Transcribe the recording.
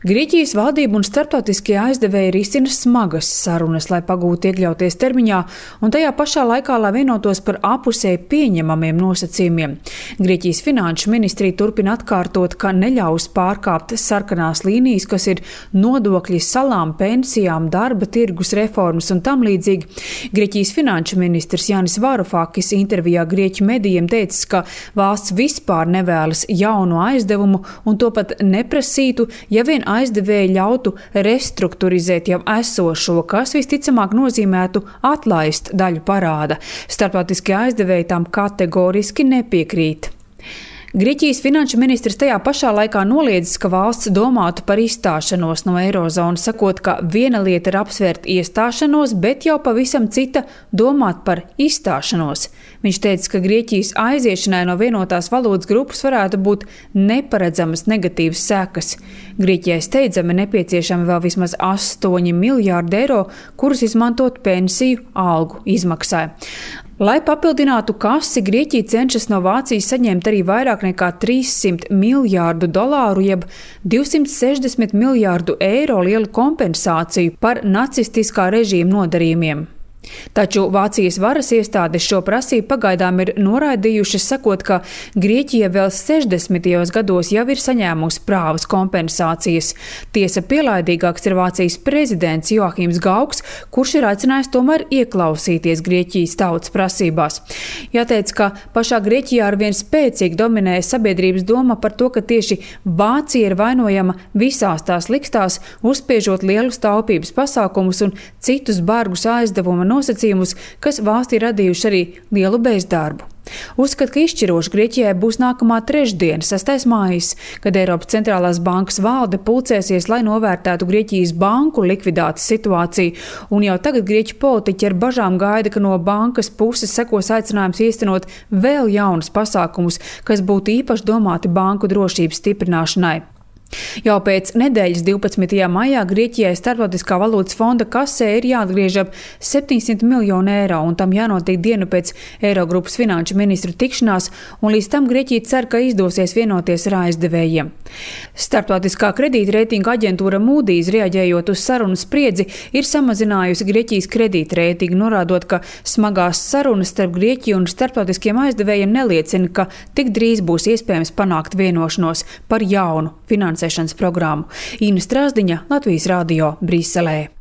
Grieķijas valdība un starptautiskie aizdevēji risina smagas sarunas, lai pagūtu iekļauties termiņā un tajā pašā laikā, lai vienotos par apusēji pieņemamiem nosacījumiem. Grieķijas finanšu ministrija turpina atkārtot, ka neļaus pārkāpt sarkanās līnijas, kas ir nodokļi salām, pensijām, darba tirgus reformas un tam līdzīgi. Grieķijas finanšu ministrs Jānis Varufakis intervijā grieķu medijiem teicis, ka valsts vispār nevēlas jaunu aizdevumu un to pat neprasītu, ja vien aizdevēji ļautu restruktūrizēt jau esošo, kas visticamāk nozīmētu atlaist daļu parāda. Starptautiskie aizdevēji tam kategoriski nepiekrīt. Grieķijas finanšu ministrs tajā pašā laikā noliedzis, ka valsts domātu par izstāšanos no eirozonas, sakot, ka viena lieta ir apsvērt iestāšanos, bet jau pavisam cita domāt par izstāšanos. Viņš teica, ka Grieķijas aiziešanai no vienotās valūtas grupas varētu būt neparedzamas negatīvas sekas. Grieķijai steidzami nepieciešami vēl vismaz 8 miljārdi eiro, kurus izmantot pensiju algu izmaksai. Lai papildinātu kasi, Grieķija cenšas no Vācijas saņemt arī vairāk nekā 300 miljārdu dolāru, jeb 260 miljārdu eiro lielu kompensāciju par nacistiskā režīma nodarījumiem. Taču Vācijas varas iestādes šo prasību pagaidām ir noraidījušas, sakot, ka Grieķija vēl 60. gados jau ir saņēmusi prāvas kompensācijas. Tiesa pielaidīgāks ir Vācijas prezidents Joachims Gauks, kurš ir aicinājis tomēr ieklausīties Grieķijas tautas prasībās. Jāteic, ka pašā Grieķijā arvien spēcīgi dominē sabiedrības doma par to, ka tieši Vācija ir vainojama visās tās likstās, uzspiežot lielus taupības pasākumus un citus bargus aizdevuma nosacījumus, kas valstī radījuši arī lielu bezdarbu. Uzskat, ka izšķiroši Grieķijai būs nākamā trešdiena, 6. mājas, kad Eiropas centrālās bankas valde pulcēsies, lai novērtētu Grieķijas banku likvidācijas situāciju, un jau tagad grieķu politiķi ar bažām gaida, ka no bankas puses sekos aicinājums īstenot vēl jaunus pasākumus, kas būtu īpaši domāti banku drošības stiprināšanai. Jau pēc nedēļas 12. maijā Grieķijai Starptautiskā valūtas fonda kasē ir jāatgriež ap 700 miljonu eiro, un tam jānotiek dienu pēc Eirogrupas finanšu ministru tikšanās, un līdz tam Grieķija cer, ka izdosies vienoties ar aizdevējiem. Starptautiskā kredītreitinga aģentūra Moody's, reaģējot uz sarunu spriedzi, ir samazinājusi Grieķijas kredītreitingu, norādot, ka smagās sarunas starp Grieķiju un starptautiskiem aizdevējiem neliecina, ka tik drīz būs iespējams panākt vienošanos par jaunu finansēšanas programmu. Ina Strāzdiņa, Latvijas radio, Briselē.